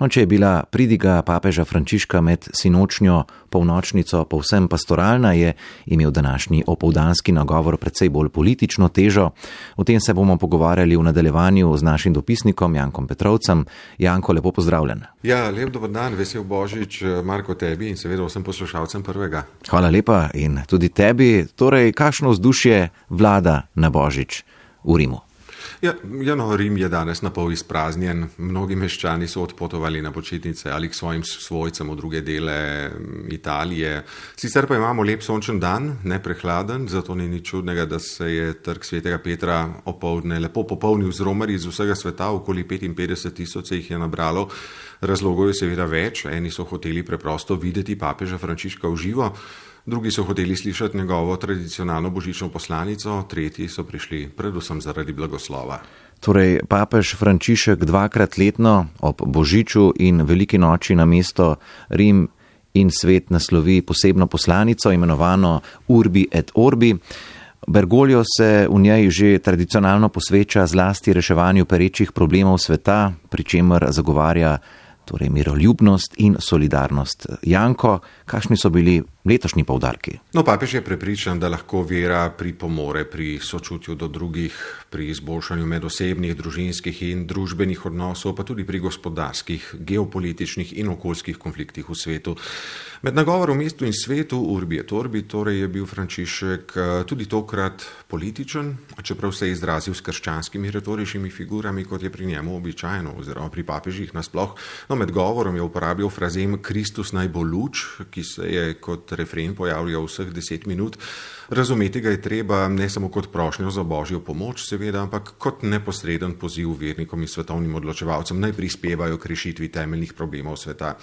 No, če je bila pridiga papeža Frančiška med sinočnjo polnočnico povsem pastoralna, je imel današnji opoldanski nagovor precej bolj politično težo. O tem se bomo pogovarjali v nadaljevanju z našim dopisnikom Jankom Petrovcem. Janko, lepo pozdravljen. Ja, lep dober dan, vesel Božič, Marko, tebi in seveda vsem poslušalcem Prvega. Hvala lepa in tudi tebi. Torej, kakšno vzdušje vlada na Božič v Rimu? Ja, Rim je danes napol izpraznjen. Mnogi meščani so odpotovali na počitnice ali k svojim svojcem v druge dele Italije. Sicer pa imamo lep sončen dan, ne prehladen, zato ni nič čudnega, da se je trg svetega Petra opoldne lepo popolnil z romarji iz vsega sveta, okoli 55,000 se jih je nabralo. Razlogov je seveda več, eni so hoteli preprosto videti papeža Frančiška v živo, drugi so hoteli slišati njegovo tradicionalno božično poslanico, tretji so prišli predvsem zaradi blagoslova. Torej, papež Frančišek dvakrat letno ob božiču in veliki noči na mesto Rim in svet naslovi posebno poslanico, imenovano Urbi et Orbi. Bergoglio se v njej že tradicionalno posveča zlasti reševanju perečih problemov sveta, pri čemer zagovarja torej miroljubnost in solidarnost. Janko, kakšni so bili letošnji poudarki? No, papež je prepričan, da lahko vera pripomore pri sočutju do drugih, pri izboljšanju medosebnih, družinskih in družbenih odnosov, pa tudi pri gospodarskih, geopolitičnih in okoljskih konfliktih v svetu. Med nagovorom mestu in svetu, Urbi et Orbi, torej je bil Frančišek tudi tokrat političen, čeprav se je izrazil s krščanskimi retoričnimi figurami, kot je pri njemu običajno, oziroma pri papežih nasploh. No, med govorom je uporabil frazem Kristus naj bo luč, ki se je kot refren pojavljal vseh 10 minut. Razumeti ga je treba ne samo kot prošnjo za božjo pomoč, seveda, ampak kot neposreden poziv vernikom in svetovnim odločevalcem, naj prispevajo k rešitvi temeljnih problemov sveta.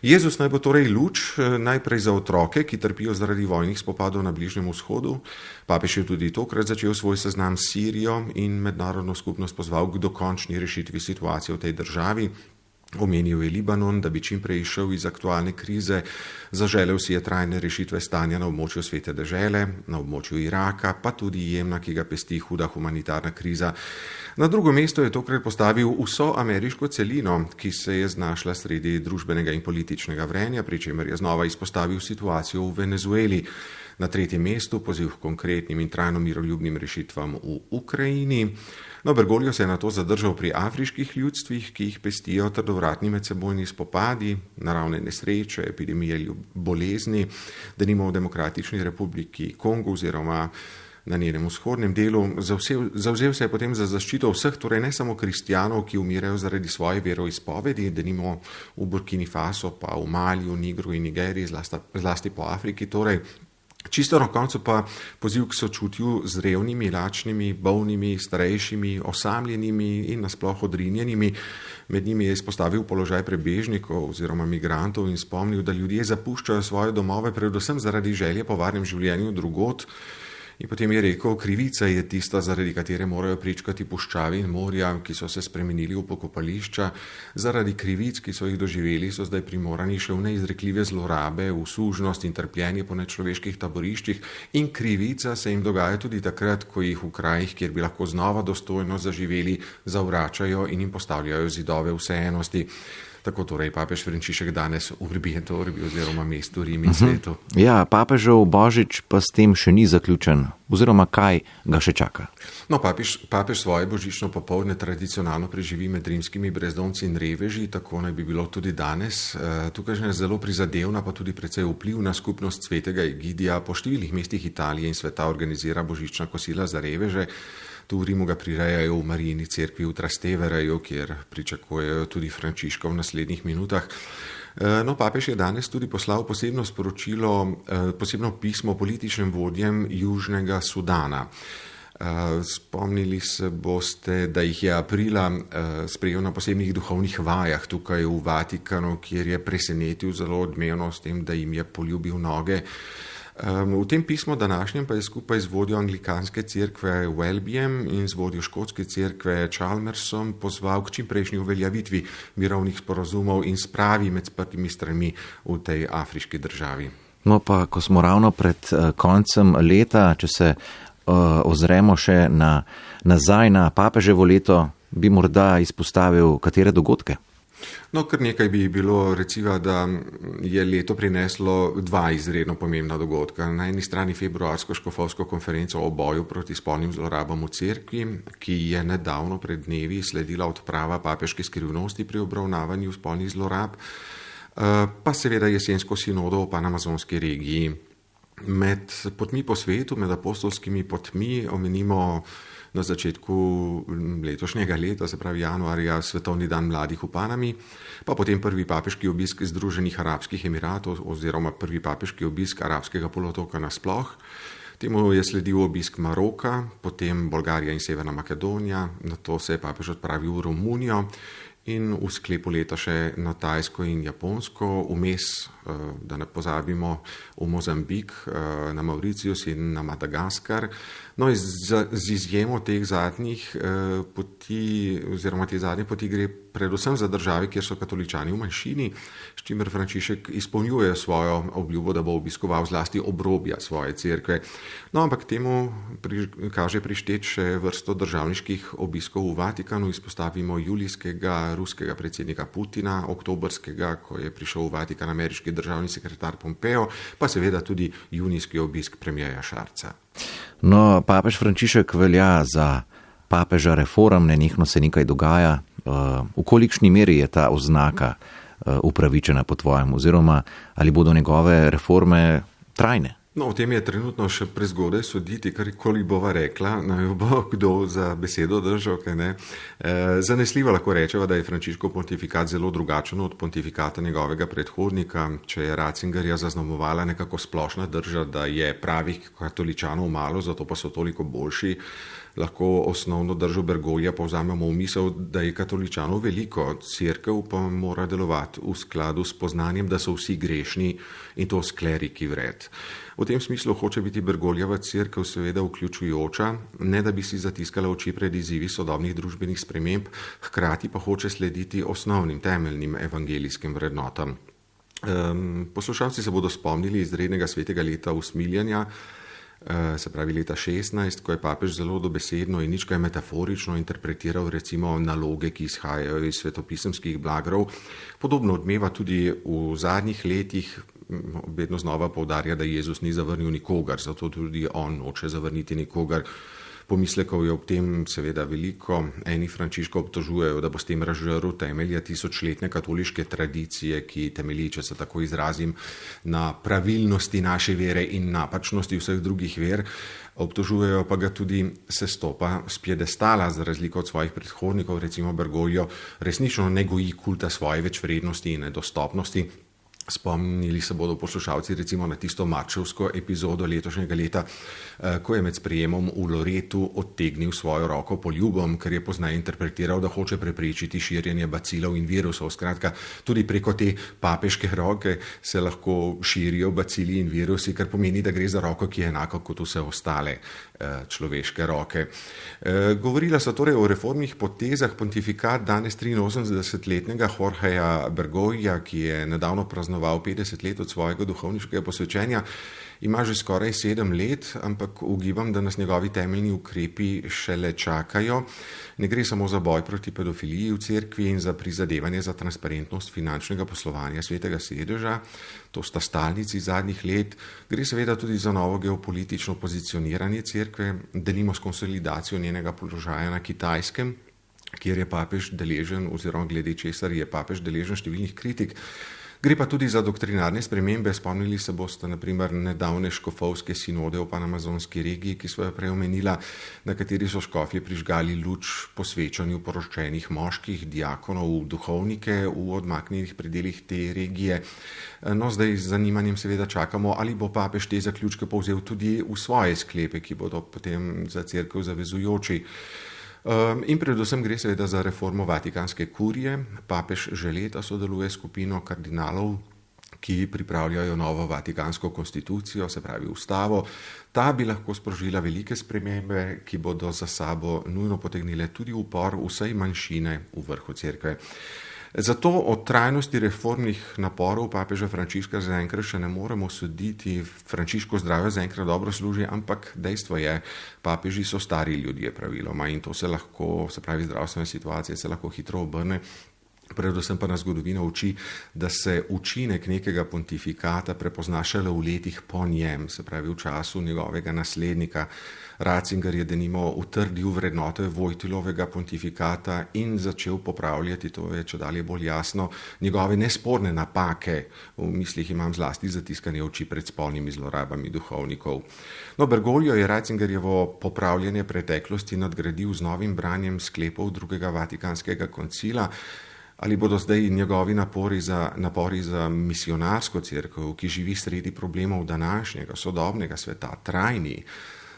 Jezus naj bo torej luč, najprej za otroke, ki trpijo zaradi vojnih spopadov na Bližnjem vzhodu. Papež je tudi tokrat začel svoj seznam s Sirijo in mednarodno skupnost pozval k dokončni rešitvi situacije v tej državi. Omenil je Libanon, da bi čim prej išel iz aktualne krize, zaželel si je trajne rešitve stanja na območju Svete dežele, na območju Iraka, pa tudi Jemna, ki ga pesti huda humanitarna kriza. Na drugo mesto je tokrat postavil vso ameriško celino, ki se je znašla sredi družbenega in političnega vrenja, pri čemer je znova izpostavil situacijo v Venezueli. Na tretjem mestu poziv k konkretnim in trajno miroljubnim rešitvam v Ukrajini. No, Bergoglio se je na to zadržal pri afriških ljudstvih, ki jih pestijo trdovratni medsebojni spopadi, naravne nesreče, epidemije bolezni, denimo v Demokratični republiki Kongo oziroma na njenem vzhodnem delu. Zavzel se je potem za zaščito vseh, torej ne samo kristjanov, ki umirajo zaradi svoje veroizpovedi, denimo v Burkini Faso, pa v Maliju, Nigru in Nigeriji, zlasti po Afriki, torej. Čisto na koncu pa poziv k sočutju z revnimi, lačnimi, bolnimi, starejšimi, osamljenimi in nasploh odrinjenimi. Med njimi je izpostavil položaj prebežnikov oziroma migrantov in spomnil, da ljudje zapuščajo svoje domove predvsem zaradi želje po varnem življenju drugod. In potem je rekel, krivica je tista, zaradi katere morajo pričkati puščavi in morja, ki so se spremenili v pokopališča. Zaradi krivic, ki so jih doživeli, so zdaj primorani še v neizrekljive zlorabe, v sužnost in trpljenje po nečloveških taboriščih. In krivica se jim dogaja tudi takrat, ko jih v krajih, kjer bi lahko znova dostojno zaživeli, zavračajo in jim postavljajo zidove vseenosti. Tako torej papež Frančišek danes Urbi et Orbi oziroma mestu Rim in svetu. Ja, papežev božič pa s tem še ni zaključen, oziroma kaj ga še čaka? No, papež svoje božično popoldne tradicionalno preživi med rimskimi brezdomci in reveži, tako naj bi bilo tudi danes. Tukaj je zelo prizadevna, pa tudi precej vplivna skupnost svetega Egidija po številnih mestih Italije in sveta organizira božična kosila za reveže. Tu v Rimu ga prirejajo v Marijini cerkvi v Trastevereju, kjer pričakujejo tudi Frančiška v naslednjih minutah. No, papež je danes tudi poslal posebno sporočilo, posebno pismo političnim vodjem Južnega Sudana. Spomnili se boste, da jih je aprila sprejel na posebnih duhovnih vajah tukaj v Vatikanu, kjer je presenetil zelo odmevno s tem, da jim je poljubil noge. V tem pismu današnjem pa je skupaj z vodjo anglikanske cerkve Welbyjem in z vodjo škotske cerkve Chalmersom pozval k čimprejšnji uveljavitvi mirovnih sporazumov in spravi med sprtimi stranmi v tej afriški državi. No pa, ko smo ravno pred koncem leta, če se ozremo še nazaj na papeževo leto, bi morda izpostavil katere dogodke? No, kar nekaj bi bilo, recimo, da je leto prineslo dva izredno pomembna dogodka. Na eni strani februarsko škofovsko konferenco o boju proti spolnim zlorabam v cerkvi, ki je nedavno pred dnevi sledila odprava papeške skrivnosti pri obravnavanju spolnih zlorab, pa seveda jesensko sinodo o panamazonski regiji. Med potmi po svetu, med apostolskimi potmi omenimo na začetku letošnjega leta, se pravi januarja, Svetovni dan mladih v Panami, pa potem prvi papeški obisk Združenih arabskih emiratov oziroma prvi papeški obisk arabskega polotoka nasploh. Temu je sledil obisk Maroka, potem Bolgarija in Severna Makedonija, nato se je papež odpravil v Romunijo in v sklepu leta še na Tajsko in Japonsko, vmes, da ne pozabimo, v Mozambik, na Mauricius in na Madagaskar. No, z izjemo teh zadnjih poti, oziroma te zadnje poti gre predvsem za države, kjer so katoličani v manjšini, s čimer Frančišek izpolnjuje svojo obljubo, da bo obiskoval zlasti obrobja svoje cerkve. No, ampak temu kaže prišteti še vrsto državniških obiskov v Vatikanu. Izpostavimo julijskega ruskega predsednika Putina, oktobrskega, ko je prišel v Vatikan ameriški državni sekretar Pompeo, pa seveda tudi junijski obisk premierja Šarca. No, papež Frančišek velja za papeža reform, nenehno se nekaj dogaja. V kolikšni meri je ta oznaka upravičena po tvojem, oziroma ali bodo njegove reforme trajne? No, o tem je trenutno še prezgodaj soditi, karkoli bova rekla, naj bo kdo za besedo držal, kaj ne. Zanesljivo lahko rečeva, da je Frančiškov pontifikat zelo drugačen od pontifikata njegovega predhodnika. Če je Ratzingerja zaznamovala nekako splošna drža, da je pravih katoličanov malo, zato pa so toliko boljši, lahko osnovno držo Bergoglja povzamemo v misel, da je katoličanov veliko, cerkev pa mora delovati v skladu s poznanjem, da so vsi grešni in to s kleriki vred. V tem smislu hoče biti Bergoglieva cerkev seveda vključujoča, ne da bi si zatiskala oči pred izzivi sodobnih družbenih sprememb, hkrati pa hoče slediti osnovnim, temeljnim evangelijskim vrednotam. Poslušalci se bodo spomnili izrednega svetega leta usmiljanja, se pravi leta 16, ko je papež zelo dobesedno in nič kaj metaforično interpretiral recimo naloge, ki izhajajo iz svetopisemskih blagrov. Podobno odmeva tudi v zadnjih letih, vedno znova poudarja, da Jezus ni zavrnil nikogar, zato tudi on noče zavrniti nikogar. Pomislekov je ob tem seveda veliko. Eni Frančiška obtožujejo, da bo s tem razžrl temelje tisočletne katoliške tradicije, ki temelji, če se tako izrazim, na pravilnosti naše vere in napačnosti vseh drugih ver. Obtožujejo pa ga tudi sestopa s piedestala, za razliko od svojih predhodnikov, recimo Bergoglio, resnično ne goji kulta svoje večvrednosti in nedostopnosti. Spomnili se bodo poslušalci recimo na tisto marčevsko epizodo letošnjega leta, ko je med sprejemom v Loretu odtegnil svojo roko poljubom, ker je pozneje interpretiral, da hoče preprečiti širjenje bacilov in virusov. Skratka, tudi preko te papeške roke se lahko širijo bacili in virusi, kar pomeni, da gre za roko, ki je enako kot vse ostale človeške roke. Govorila so torej o reformnih potezah. Pontifikat danes 83-letnega Jorgeja Bergoglja, ki je nedavno praznoval 50 let od svojega duhovniškega posvečenja, ima že skoraj 7 let, ampak ugibam, da nas njegovi temeljni ukrepi šele čakajo. Ne gre samo za boj proti pedofiliji v cerkvi in za prizadevanje za transparentnost finančnega poslovanja Svetega sedeža, to sta stalnici zadnjih let. Gre seveda tudi za novo geopolitično pozicioniranje cerkve, delimo s konsolidacijo njenega položaja na Kitajskem, kjer je papež deležen, oziroma glede česar je papež deležen številnih kritik. Gre pa tudi za doktrinarne spremembe. Spomnili se boste na primer nedavne škofovske sinode v panamazonski regiji, ki so jo prej omenila, na kateri so škofje prižgali luč posvečanju poroščenih moških, diakonov, duhovnike v odmaknjenih predelih te regije. No, zdaj z zanimanjem seveda čakamo, ali bo papež te zaključke povzel tudi v svoje sklepe, ki bodo potem za cerkev zavezujoči. In predvsem gre seveda za reformo vatikanske kurije. Papež že leta sodeluje s skupino kardinalov, ki pripravljajo novo vatikansko konstitucijo, se pravi ustavo. Ta bi lahko sprožila velike spremembe, ki bodo za sabo nujno potegnile tudi upor vsej manjšine v vrhu cerkve. Zato o trajnosti reformnih naporov papeža Frančiška zaenkrat še ne moremo soditi. Frančiško zdravje zaenkrat dobro služi, ampak dejstvo je, papeži so stari ljudje praviloma in to se lahko, se pravi zdravstvena situacija se lahko hitro obrne. Predvsem pa nas zgodovina uči, da se učinek nekega pontifikata prepozna šele v letih po njem, se pravi v času njegovega naslednika. Ratzinger je denimo utrdil vrednote Vojtilovega pontifikata in začel popravljati, to je čedalje bolj jasno, njegove nesporne napake. V mislih imam zlasti zatiskanje oči pred spolnimi zlorabami duhovnikov. No, Bergoglio je Ratzingerjevo popravljanje preteklosti nadgradil z novim branjem sklepov drugega Vatikanskega koncila. Ali bodo zdaj njegovi napori za misionarsko cerkev, ki živi sredi problemov današnjega, sodobnega sveta, trajni?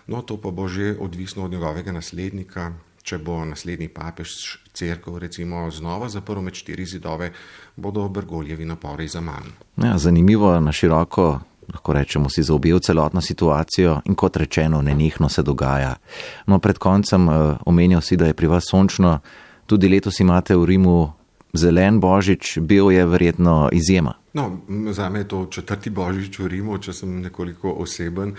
No, to pa bo že odvisno od njegovega naslednika. Če bo naslednji papež cerkev recimo znova zaprl med 4 zidove, bodo Bergoglevi napori zaman. Ja, zanimivo, na široko, lahko rečemo, si zaobjel celotno situacijo in kot rečeno, nenehno se dogaja. No, pred koncem omenjal si, da je pri vas sončno, tudi letos imate v Rimu zelen božič, bel je verjetno izjema. No, zame je to 4. božič v Rimu, če sem nekoliko oseben,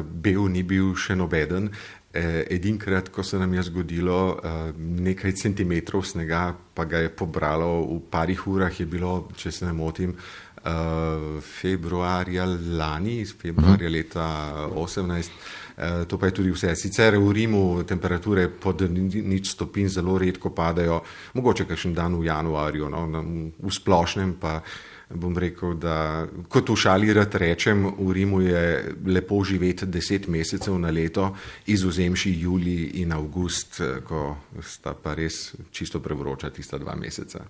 bel ni bil še nobeden. Edinkrat, ko se nam je zgodilo nekaj centimetrov snega, pa ga je pobralo v parih urah, je bilo, če se ne motim, februarja leta 2018. To pa je tudi vse. Sicer v Rimu temperature pod 0 stopinj zelo redko padajo, mogoče kakšen dan v januarju, no, v splošnem pa bom rekel, da kot v šali rad rečem, v Rimu je lepo živeti 10 mesecev na leto, izvzemši julij in avgust, ko sta pa res čisto prevroča tista 2 meseca.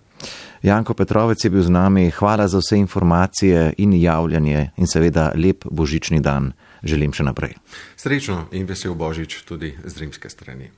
Janko Petrovec je bil z nami, hvala za vse informacije in javljanje in seveda lep božični dan želim še naprej. Srečno in vesel božič tudi z rimske strani.